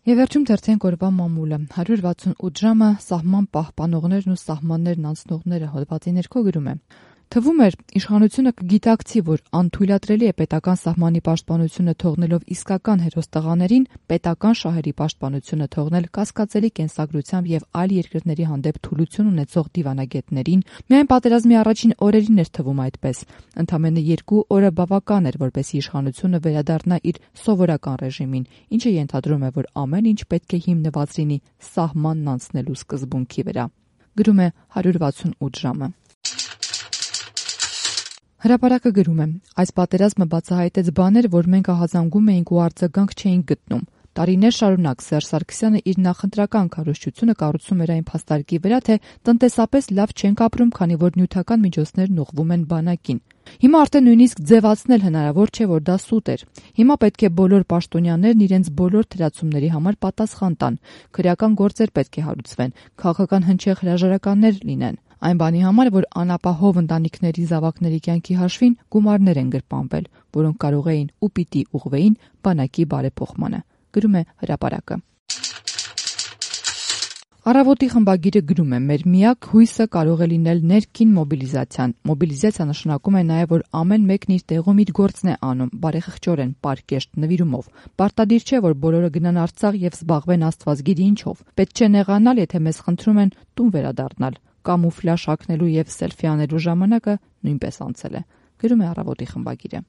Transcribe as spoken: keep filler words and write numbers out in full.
Եվ վերջում թերթենք օրվա մամուլը, հարյուր վաթսունութ ժամը սահման պահպանողներն ու սահմաններն անցնողները հոդվածի ներքո գրում է. Թվում էր, իշխանությունը կգիտակցի, որ անթույլատրելի է պետական սահմանի պաշտպանությունը թողնելով իսկական հերոստղաներին, պետական շահերի պաշտպանությունը թողնել կասկածելի կենսագրությամբ եւ այլ երկրների հանդեպ թուլություն ունեցող դիվանագետներին, միայն պատերազմի առաջին օրերին էր թվում այդպես։ Ընդամենը երկու օրը բավական էր, որպեսզի իշխանությունը վերադառնա իր սովորական ռեժիմին, ինչը ենթադրում է, որ ամեն ինչ պետք է հիմնված լինի սահմանն անցնելու սկզբունքի վրա։ Գրում է հարյուր վաթսունութ ժամը։ Հրապարակը գրում է. այս պատերազմը բացահայտեց բաներ, որ մենք ահազանգում էինք ու արձագանք չէինք գտնում։ Տարիներ շարունակ Սերժ Սարգսյանը իր նախընտրական քարոզչությունը կառուցում էր այն փաստարկի վրա, թե տնտեսապես լավ չենք ապրում, քանի որ նյութական միջոցներն ուղղվում են բանակին։ Հիմա արդեն նույնիսկ ձևացնել հնարավոր չէ, որ դա սուտ էր։ Հիմա պետք է բոլոր պաշտոնյաներն իրենց բոլոր թերացումների համար պատասխան տան։ Քրեական գործեր պետք է հարուցվեն, քաղաքական հնչեղ հրաժարականներ լինեն։ Այն բանի համար, որ անապահով ընտանիքների զավակների կյանքի հաշվին գումարներ են գրպանվել, որոնք կարող էին ու պիտի ուղղվեին բանակի բարեփոխմանը։ Գրում է հրապարակը։ Առավոտի խմբագիրը գրում է. մեր միակ հույսը կարող է լինել ներքին մոբիլիզացիան։ Մոբիլիզացիա նշանակում է նաև, որ ամեն մեկն իր տեղում իր գործն է անում, բարեխղճորեն, պարկեշտ նվիրումով։ Պարտադիր չէ, որ բոլորը գնան Արցախ եւ զբաղվեն Աստված գիտի ինչով։ Պետք չէ նեղանալ, եթե մեզ խնդրում են տուն վերադառնալ։ Կամուֆլաժ հագնելու եւ սելֆի անելու ժամանակը նույնպես անցել է։ Գրում է Առավոտի խմբագիրը։